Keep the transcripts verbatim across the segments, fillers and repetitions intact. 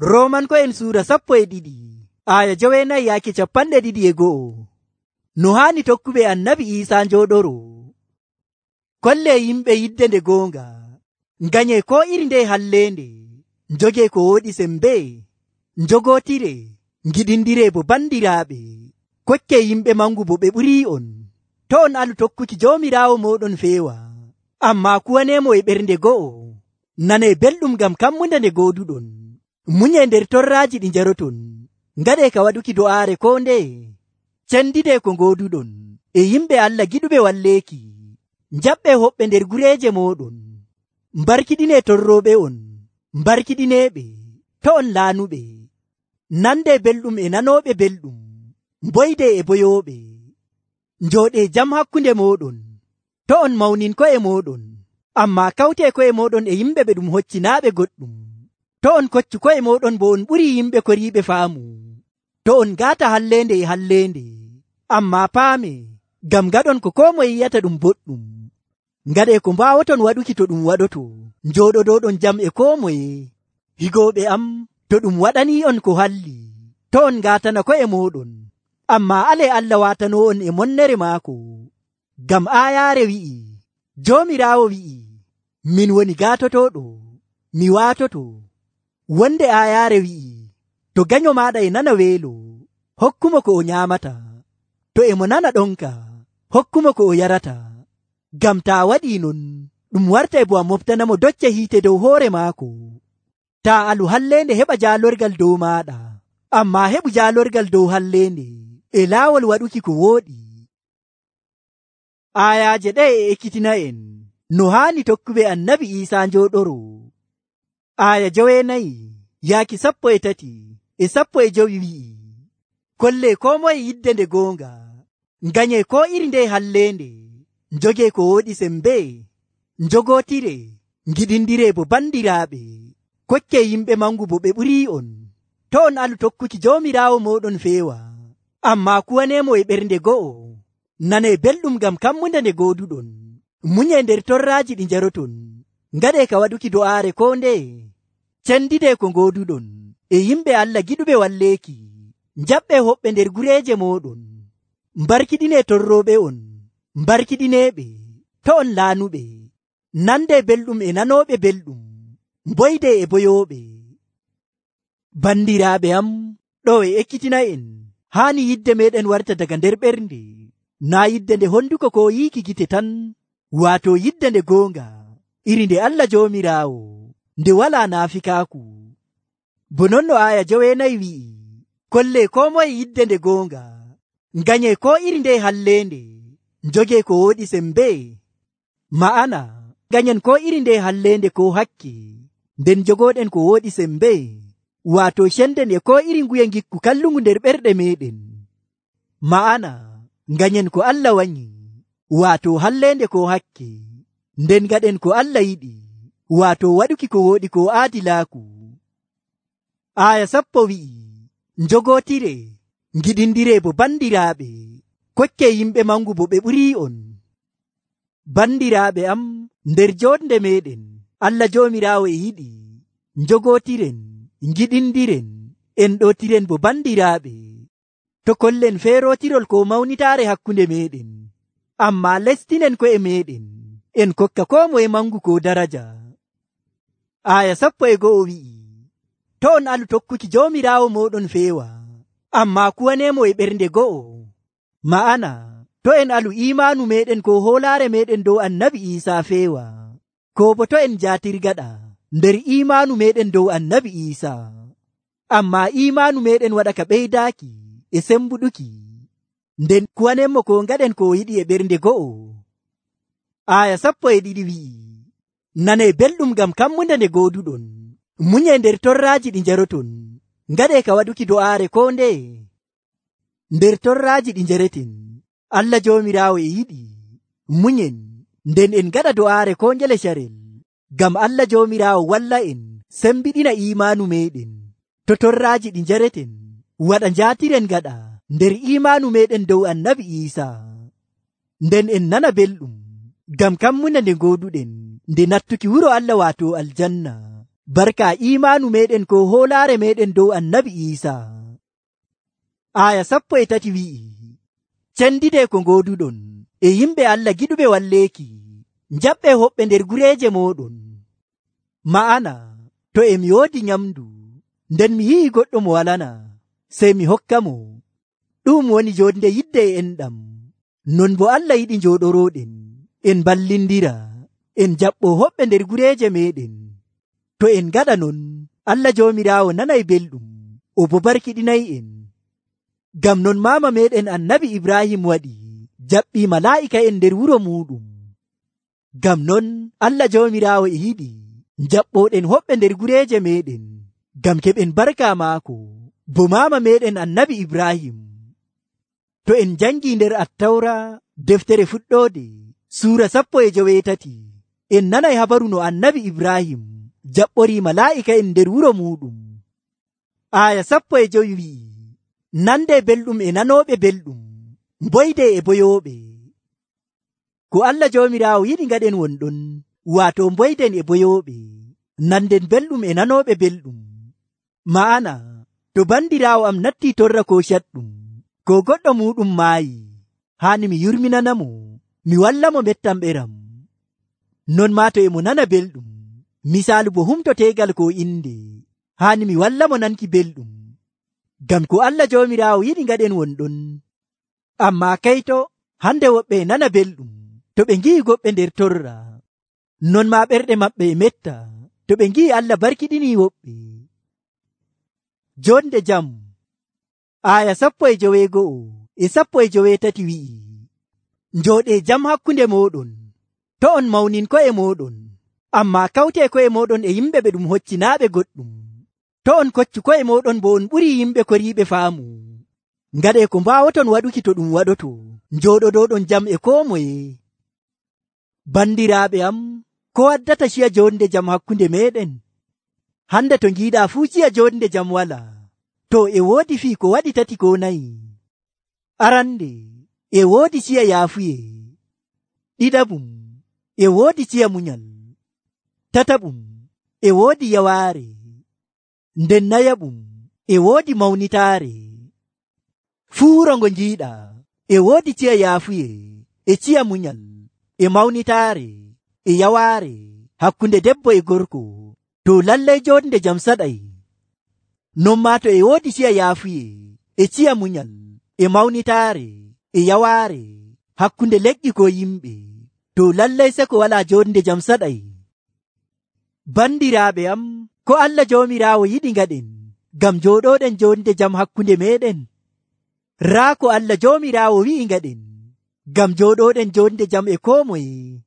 Roomanko'en suura sappo e ɗiɗi aya jowenayi yaaki capanɗe ɗiɗi e go'o. No haani tokkuɓe annabi Iisaa njooɗoro. Kolle yimɓe yidde nde goonga, nganye ko iri nde halleende, njogee ko woɗi sembe, njogootire, ngiɗindire bo bandiraaɓe, kokke yimɓe mangu bo ɓe ɓurii on. To on alu tokkuki Joomiraawo mooɗon feewa, ammaa kuwaneemo e ɓernde go'o, nanee belɗum ngam kammunde nde gooduɗon, munyee nder torraaji ɗi njaroton, ngaɗee ka waɗuki do'aare koo ndeye, cendidee ko ngooduɗon e yimɓe Allah giɗuɓe walleeki. Njaɓɓee hoɓɓe nder gureeje mooɗon, mbarkiɗinee torrooɓe on, mbarkiɗineeɓe, to on laanuɓe, nandee belɗum e nanooɓe belɗum, mboydee e boyooɓe, njooɗee jam hakkunde mooɗon, to on mawnin ko'e mooɗon, ammaa kawtee ko'e mooɗon e yimɓe ɓe ɗum hoccinaaɓe goɗɗum, to on koccu ko'e mooɗon bo on ɓurii yimɓe koriiɓe faamu, to on ngaata halleende e halleende, ammaa paamee, ngam ngaɗon ko koo moye yi'ata ɗum boɗɗum, ngaɗee ko mbaawoton waɗuki to ɗum waɗoto, njooɗodooɗon jam e koo moye. Higooɓe am, to ɗum waɗanii on ko halli, to on ngaatana ko'e mooɗon, ammaa alee Allah waatanoo on e monnere maako. Ngam aayaare wi'i, Joomiraawo wi'i, min woni gaatotooɗo, mi waatoto. Wonde aayaare wi'i, to ganyo maaɗa e nana weelo, hokkumo ko o nyaamata, to e mo nana ɗonka, hokkumo ko o yarata. Ngam taa waɗii non, ɗum wartay bo a moftanamo docce hiite dow hoore maako. Taa alu halleende heɓa jaalorgal dow maaɗa, ammaa heɓu jaalorgal dow halleende e laawol waɗuki ko wooɗi. Aayaaje ɗe e ekkitina en no haani tokkuɓe annabi Iisaa njooɗoro. Aaya jowenayi yaaki sappo e tati e sappo e jowi wi'i, kolle koo moye yidde nde goonga, nganyee ko iri nde halleende, njogee ko woɗi sembe, njogootire, ngiɗindire bo bandiraaɓe, kokke yimɓe mangu bo ɓe ɓurii on. To on alu tokkuki Joomiraawo mooɗon feewa, ammaa kuwaneemo e ɓernde go'o, nanee belɗum ngam kammunde nde gooduɗon, munyee nder torraaji ɗi njaroton, ngaɗee ka waɗuki do'aare koo ndeye, cendidee ko ngooduɗon e yimɓe Allah giɗuɓe walleeki. Njaɓɓee hoɓɓe nder gureeje mooɗon, mbarkiɗinee torrooɓe on, mbarkiɗineeɓe, to on laanuɓe, nandee belɗum e nanooɓe belɗum, mboydee e boyooɓe. Bandiraaɓe am, ɗo e ekkitina en haani yidde meeɗen warta daga nder ɓernde, naa yidde nde honduko ko yiiki gite tan, waato yidde nde goonga, iri nde Allah Joomiraawo, nde walaa naafikaaku. Bo non no aaya jowenayi wi'i, kolle koo moye yidde nde goonga, nganyee ko iri nde halleende, njogee ko woɗi sembe, ma'ana ganyen ko iri nde halleende ko hakke, nden jogooɗen ko woɗi sembe, waato cenden e ko iri nguye ngikku kallungu nder ɓerɗe meeɗen, ma'ana ganyen ko Allah wanyi, waato halleende ko hakke, nden gaɗen ko Allah yiɗi, waato waɗuki ko woɗi ko aadilaaku. Aaya sappo wi'i, njogootire, ngiɗindire bo bandiraaɓe, kokke yimɓe mangu bo ɓe ɓurii on. Bandiraaɓe am, nder joonde meeɗen, Allah Joomiraawo e yiɗi njogootiren, ngiɗindiren, en ɗootiren bo bandiraaɓe. To kollen feerootirol ko mawnitaare hakkunde meeɗen, ammaa lestinen ko'e meeɗen, en kokka koo moye mangu ko daraja. Aaya sappo e go'o wi'i, to on alu tokkuki Joomiraawo mooɗon feewa, ammaa kuwaneemo e ɓernde go'o, ma'ana to en alu imaanu meeɗen ko hoolaare meeɗen dow annabi Iisaa feewa, ko bo to en jaatirgaɗa nder imaanu meeɗen dow annabi Iisaa, ammaa imaanu meeɗen waɗa ka ɓeydaaki e sembuɗuki, nden kuwanenmo ko ngaɗen ko yiɗi e ɓernde go'o. Aaya sappo e ɗiɗi wi'i, nanee belɗum ngam kammunde nde gooduɗon, munyee nder torraaji ɗi njaroton, ngaɗee ka waɗuki do'aare koo ndeye. Nder torraaji ɗi njareten, Allah Joomiraawo e yiɗi munyen, nden en ngaɗa do'aare koo ngele carel, ngam Allah Joomiraawo walla en sembiɗina imaanu meeɗen. To torraaji ɗi njareten, waɗa njaatiren gaɗa nder imaanu meeɗen dow annabi Iisaa, nden en nana belɗum ngam kammunde nde gooduɗen nde nattuki wuro Allah waato aljanna, barka imaanu meɗen ko hoolaare meɗen dow annabi Iisa. Aya sappo e tati wi'i, cendide ko ngoduɗon e yimɓe Allah giɗuɓe walleeki, njaɓɓe hoɓɓe nder gureeje mooɗon. Ma'ana, to e mi woodi nyamdu, nden mi yi'i goɗɗo mo walana, sey mi hokka mo. Ɗum woni jonde yidde e enɗam. Non bo Allah yiɗi njooɗorooɗen, en ballindira, en jaɓɓo hoɓɓe nder gureeje meɗen. To en gaɗa non, Allah Joomiraawo nanay belɗum, o bo barkiɗinay'en. Ngam non maama meɗen annabi Ibrahim waɗi jaɓɓii malaa'ika'en nder wuro muɗum. Ngam non Allah Joomiraawo e yiɗi jaɓɓoɗen hoɓɓe nder gureeje meɗen, ngam keɓen barka maako, bo maama meɗen annabi Ibrahim. To en jangii nder Attawra deftere fuɗɗoode suura sappo e joweetati, en nanay habaru no annabi Ibrahim jaɓɓorii malaa'ika'en nder wuro muɗum. Aya sappo e jowi wi'i, nande belɗum e nanooɓe belɗum, mboyde e boyooɓe. Ko Allah Joomiraawo yiɗi ngaɗen wonɗon, waato mboyden e boyooɓe, nanden belɗum e nanooɓe belɗum. Ma'ana, to bandiraawo am nattii torra ko caɗɗum, ko goɗɗo muɗum maayi, haani mi yurminanamo, mi wallamo mettam ɓeram. Non maa to e mo nana belɗum, misaalu bo humto teegal ko inde, haani mi wallamo nanki belɗum. Ngam ko Allah Joomiraawo yiɗi ngaɗen wonɗon. Ammaa kayto, hande woɓɓe e nana belɗum, to ɓe ngi'i goɓɓe nder torra. Non maa ɓerɗe maɓɓe e metta, to ɓe ngi'i Allah barkiɗinii woɓɓe. Jonde jam. Aya sappo e joweego'o e sappo e joweetati wi'i, njooɗee jam hakkunde mooɗon, to on mawnin ko'e mooɗon, ammaa kawtee ko'e mooɗon e yimɓe ɓe ɗum hoccinaaɓe goɗɗum. To on koccu ko'e mooɗon bo on ɓurii yimɓe koriiɓe faamu. Ngaɗee ko mbaawoton waɗuki to ɗum waɗoto, njooɗoɗoɗon jam e koo moye. Bandiraaɓe am, ko waddata ciya jonde jam hakkunde meɗen? Hande to ngiiɗaa fuu ciya jonde jam walaa. To e woodi fii ko waɗi tati ko nayi. Arande, e woodi ciya yaafuye. Ɗiɗaɓum, e woodi ciya munyal. Tataɓum, e woodi yawaare. Nden nayaɓum, e woodi mawnitaare. Fuu rongo njiiɗaa, e woodi ciya yaafuye, e ciya munyal, e mawnitaare, e yawaare, hakkunde debbo e gorko, to lallay jonde jam saɗay. Non maa to e woodi ciya yaafuye, e ciya munyal, e mawnitaare, e yawaare, hakkunde leƴƴi ko yimɓe, to lallay seko walaa jonde jam saɗay. Bandiraaɓe am, ko Allah Joomiraawo yiɗi ngaɗen, ngam jooɗoɗen jonde jam hakkunde meɗen? Raa ko Allah Joomiraawo wi'i ngaɗen, ngam jooɗoɗen jonde jam e koo moye.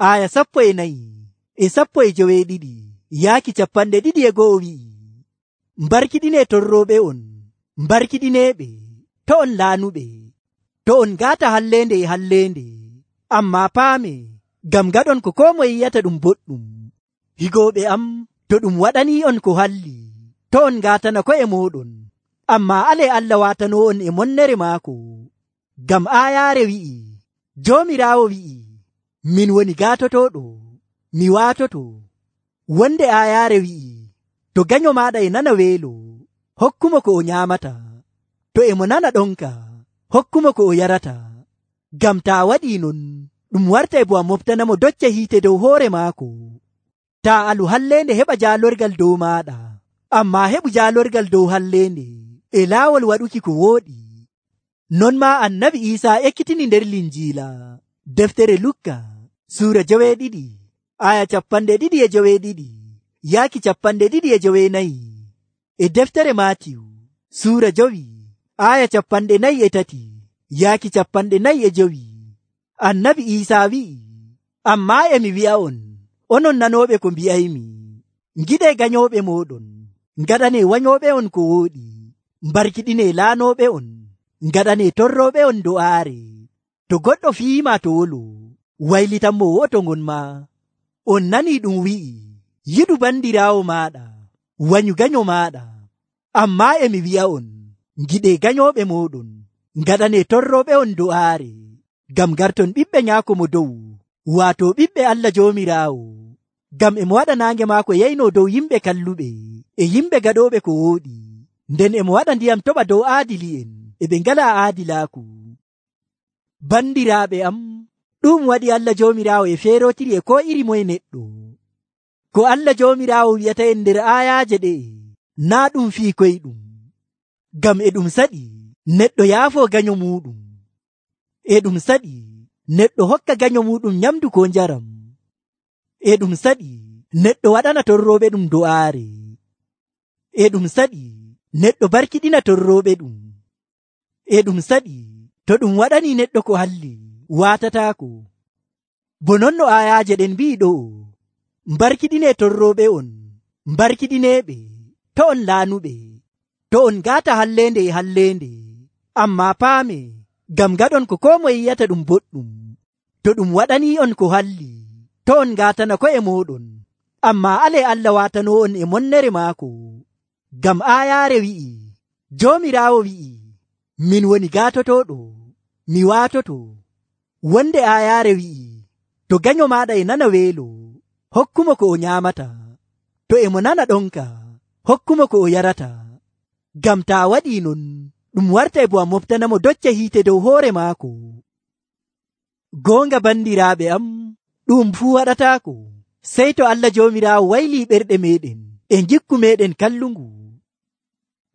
Aya sappo e nayi e sappo e joweeɗiɗi yaaki capanɗe ɗiɗi e go'o wi'i, mbarkiɗinee torrooɓe on, mbarkiɗineeɓe, to on laanuɓe, to on ngaata halleende e halleende, ammaa paame, ngam ngaɗon ko koo moye yiyata ɗum boɗɗum. Higooɓe am, to ɗum waɗanii on ko halli, to on ngaatana ko'e mooɗon, ammaa alee Allah waatanoo on e monnere maako. Ngam aayaare wi'i, Joomiraawo wi'i, min woni gaatotooɗo, mi waatoto. Wonde aayaare wi'i, to ganyo maaɗa e nana weelo, hokkumo ko o nyaamata. To e mo nana ɗonka, hokkumo ko o yarata. Ngam taa waɗii non, ɗum wartay bo a moftanamo docce hiite dow hoore maako. Taa alu halleende heɓa jaalorgal dow maaɗa, ammaa heɓu jaalorgal dow halleende e laawol waɗuki ko wooɗi. Non maa annabi Iisaa ekkitini nder Linjiila, deftere Lukka, suura joweeɗiɗi, aya capanɗe ɗiɗi e joweeɗiɗi, yaaki capanɗe ɗiɗi e joweenayi, e deftere Maatiyu, suura jowi, aya capanɗe nayi e tati, yaaki capanɗe nayi e jowi. Annabi Iisaa wi'i, ammaa emi wi'a on, onon nanooɓe ko mbi'aymi, ngiɗee ganyooɓe mooɗon, ngaɗanee wanyooɓe on ko wooɗi, mbarkiɗinee laanooɓe on, ngaɗanee torrooɓe on do'aare. To goɗɗo fiyiima to wolo, waylitanmo wo'oto ngon ma. On nanii ɗum wi'i, yiɗu bandiraawo maaɗa, wanyu ganyo maaɗa. Ammaa emi wi'a on, ngiɗee ganyooɓe mooɗon, ngaɗanee torrooɓe on do'aare, ngam garton ɓiɓɓe nyaako mo dow, waato ɓiɓɓe Allah Joomiraawo. ngam emo waɗa naange maako yeyno dow yimɓe kalluɓe e yimɓe gaɗooɓe ko wooɗi, nden emo waɗa ndiyam toɓa dow aadili'en e ɓe ngalaa aadilaaku. Bandiraaɓe am, ɗum waɗi Allah Joomiraawo e feerotiri e ko iri moye neɗɗo. Ko Allah Joomiraawo wi'ata en nder aayaaje ɗe'e naa ɗum fii koyɗum, ngam e ɗum saɗi neɗɗo yaafoo ganyo muuɗum. E ɗum saɗi neɗɗo hokka ganyo muuɗum nyamdu ko njaram. E ɗum saɗi neɗɗo waɗana torrooɓe ɗum do'aare. E ɗum saɗi neɗɗo barkiɗina torrooɓe ɗum. E ɗum saɗi to ɗum waɗanii neɗɗo ko halli waatataako. Bo non no aayaaje ɗen mbi'i ɗo, mbarkiɗinee torrooɓe on, mbarkiɗineeɓe, to on laanuɓe, to on ngaata halleende e halleende, ammaa paame, ngam ngaɗon ko koo moye yi'ata ɗum boɗɗum. To ɗum waɗanii on ko halli, to on ngaatana ko'e mooɗon, ammaa alee Allah waatanoo on e monnere maako. Ngam aayaare wi'i, Joomiraawo wi'i, min woni gaatotooɗo, mi waatoto. Wonde aayaare wi'i, to ganyo maaɗa e nana weelo, hokkumo ko o nyaamata. To emo nana ɗonka, hokkumo ko o yarata. Ngam taa waɗii non, ɗum wartay bo a moftanamo docce hiite dow hoore maako. Goonga bandiraaɓe am, ɗum fuu waɗataako, sey to Allah Joomiraawo waylii ɓerɗe meeɗen e ngikku meeɗen kallungu.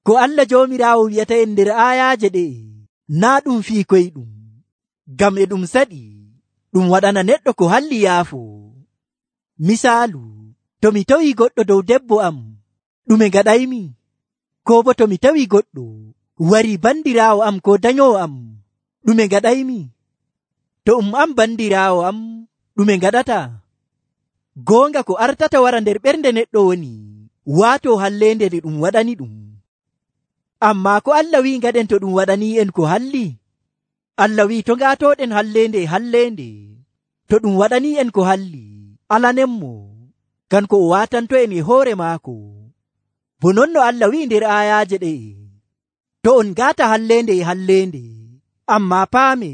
Ko Allah Joomiraawo wi'ata en nder aayaaje ɗe'e naa ɗum fii koyɗum, ngam e ɗum saɗi ɗum waɗana neɗɗo ko halli yaafoo. Misaalu, to mi tawii goɗɗo dow debbo am, ɗume ngaɗaymi? Koo bo to mi tawii goɗɗo warii bandiraawo am ko danyoowo am, ɗume ngaɗaymi? To um am bandiraawo am, ɗume ngaɗata? Goonga ko artata wara nder ɓernde neɗɗo woni waatoo halleende nde ɗum waɗani ɗum. Ammaa ko Allah wi'i ngaɗen to ɗum waɗanii en ko halli? Allah wi'i to ngaatooɗen halleende e halleende, to ɗum waɗanii en ko halli, alanenmo, kanko o waatanto en e hoore maako. Bo non no Allah wi'i nder aayaaje ɗe'e, to on ngaata halleende e halleende, ammaa paame,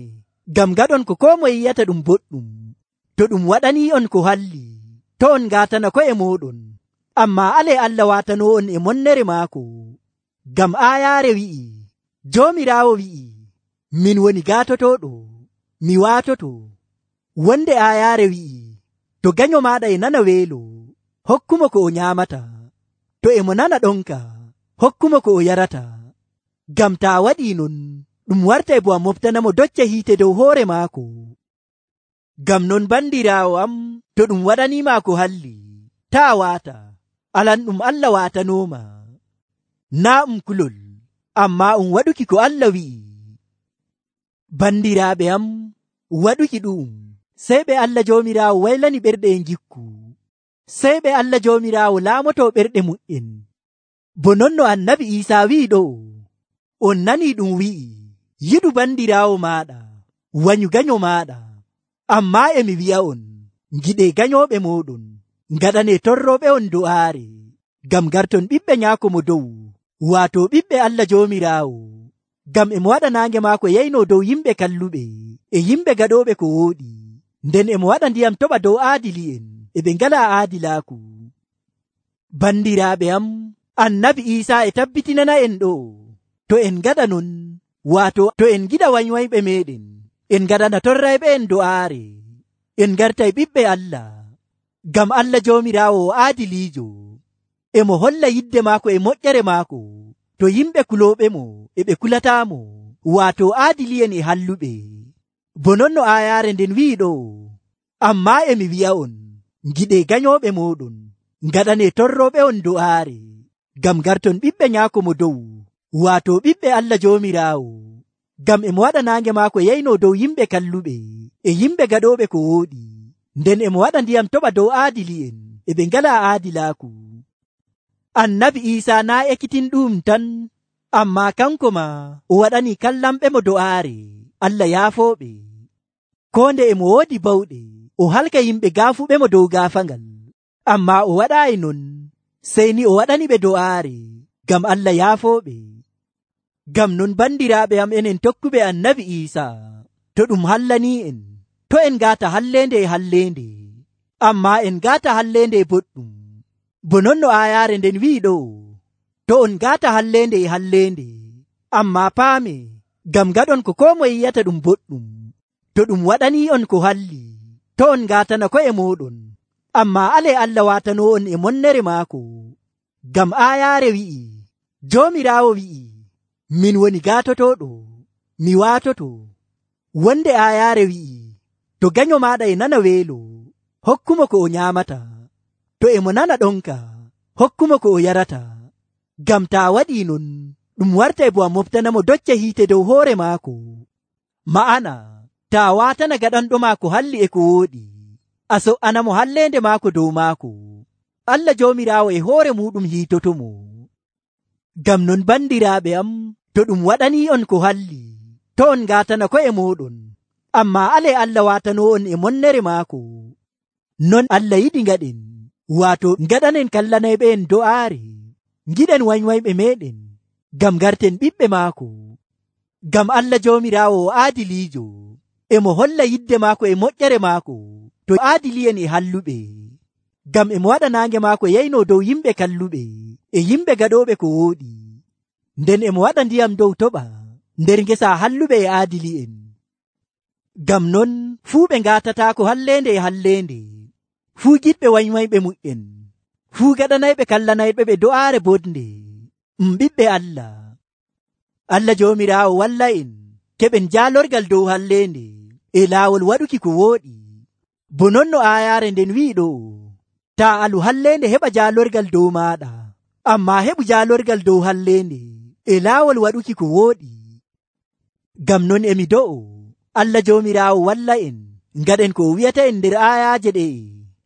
ngam ngaɗon ko koo moye yi'ata ɗum boɗɗum. To ɗum waɗanii on ko halli, to on ngaatana ko'e mooɗon, ammaa alee Allah waatanoo on e monnere maako. Ngam aayaare wi'i, Joomiraawo wi'i, min woni gaatotooɗo, mi waatoto. Wonde aayaare wi'i, to ganyo maaɗa e nana weelo, hokkumo ko o nyaamata. To emo nana ɗonka, hokkumo ko o yarata. Ngam taa waɗii non, ɗum wartay bo a moftanamo docce hiite dow hoore maako. Ngam non bandiraawo am, to ɗum waɗaniima ko halli, taa waata, alan ɗum Allah waatanooma. Naa um kulol, ammaa um waɗuki ko Allah wi'i. Bandiraaɓe am, waɗuki ɗum, sey ɓe Allah Joomiraawo waylani ɓerɗe e ngikku, sey ɓe Allah Joomiraawo laamotoo ɓerɗe mu'en. Bo non no Annabi Iisaa wi'i ɗo, on nanii ɗum wi'i, yiɗu bandiraawo maaɗa, wanyu ganyo maaɗa. Ammaa emi wi'a on, ngiɗee ganyooɓe mooɗon, ngaɗanee torrooɓe on do'aare, ngam garton ɓiɓɓe nyaako mo dow, waato ɓiɓɓe Allah Joomiraawo. Ngam emo waɗa naange maako yeyno dow yimɓe kalluɓe e yimɓe gaɗooɓe ko wooɗi, nden emo waɗa ndiyam toɓa dow aadili'en e ɓe ngalaa aadilaaku. Bandiraaɓe am, Annabi Iisaa e tabbitinana en ɗo, to en ngaɗa non, waato to en giɗa wanywayɓe meeɗen, en ngaɗana torrayɓe en do'aare, en ngartay ɓiɓɓe Allah. Ngam Allah Joomiraawo o aadiliijo, emo holla yidde maako e moƴƴere maako to yimɓe kulooɓe mo e ɓe kulataamo, waato aadili'en e halluɓe. Bo non no aayaare nden wi'i ɗo, ammaa emi wi'a on, ngiɗee ganyooɓe mooɗon, ngaɗanee torrooɓe on do'aare, ngam garton ɓiɓɓe nyaako mo dow, waato ɓiɓɓe Allah Joomiraawo. Ngam emo waɗa naange maako yeyno dow yimɓe kalluɓe e yimɓe gaɗooɓe ko wooɗi, nden emo waɗa ndiyam toɓa dow aadili'en e ɓe ngalaa aadilaaku. Annabi Iisaa naa ekkitinɗum tan, ammaa kanko ma o waɗanii kallamɓe mo do'aare, Allah yaafooɓe. Koo nde emo woodi bawɗe, o halka yimɓe gaafuɓe mo dow gaafangal, ammaa o waɗaayi non, sey ni o waɗani ɓe do'aare, ngam Allah yaafooɓe. Ngam non bandiraaɓe am enen tokkuɓe Annabi Iisaa, to ɗum hallanii en, to en ngaata halleende e halleende, ammaa en ngaata halleende e boɗɗum. Bo non no aayaare nden wi'i ɗo, to on ngaata halleende e halleende, ammaa paame, ngam ngaɗon ko koo moye yi'ata ɗum boɗɗum. To ɗum waɗanii on ko halli, to on ngaatana ko'e mooɗon, ammaa alee Allah waatanoo on e monnere maako. Ngam aayaare wi'i, Joomiraawo wi'i, min woni gaatotooɗo, mi waatoto. Wonde aayaare wi'i, to ganyo maaɗa e nana weelo, hokkumo ko o nyaamata. To e mo nana ɗonka, hokkumo ko o yarata. Ngam taa waɗii non, ɗum wartay bo a moftanamo docce hiite dow hoore maako. Ma'ana, taa waatana gaɗanɗo maako halli e ko wooɗi, a so''anamo halleende maako dow maako. Allah Joomiraawo e hoore muɗum hiitotomo. Ngam non bandiraaɓe am, to ɗum waɗanii on ko halli, to on ngaatana ko'e mooɗon, ammaa alee Allah waatanoo on e monnere maako. Non Allah yiɗi ngaɗen, waato ngaɗanen kallanayɓe en do'aare, ngiɗen wanywayɓe meeɗen, ngam garten ɓiɓɓe maako. Ngam Allah Joomiraawo o aadiliijo, e mo holla yidde maako e moƴƴere maako to aadili'en e halluɓe. Ngam e mo waɗa naange maako yaynoo dow yimɓe kalluɓe e yimɓe gaɗooɓe ko wooɗi. Nden e mo waɗa ndiyam dow toɓa nder ngesa halluɓe e aadili'en. Ngam non fuu ɓe ngaatataako halleende e halleende, fuu giɗɓe wanywayɓe mu'en, fuu gaɗanayɓe kallanayɓe ɓe do'aare bodnde, um ɓiɓɓe Allah. Allah Joomiraawo walla en keɓen jaalorgal dow halleende e laawol waɗuki ko wooɗi. Bo non no aayaare nden wi'i ɗo, taa alu halleende heɓa jaalorgal dow maaɗa, ammaa heɓu jaalorgal dow halleende e laawol waɗuki ko wooɗi. Ngam non emi do'o Allah Joomiraawo walla en ngaɗen ko o wi'ata en nder aayaaje ɗe'e,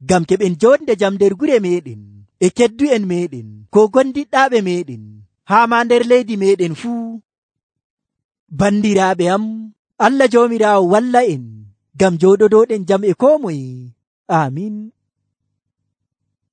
ngam keɓen jonde jam nder gure meeɗen e keddu'en meeɗen ko gondiɗɗaaɓe meeɗen haa maa nder leydi meeɗen fuu. Bandiraaɓe am, Allah Joomiraawo walla en ngam jooɗodooɗen jam e koo moye. Aamin.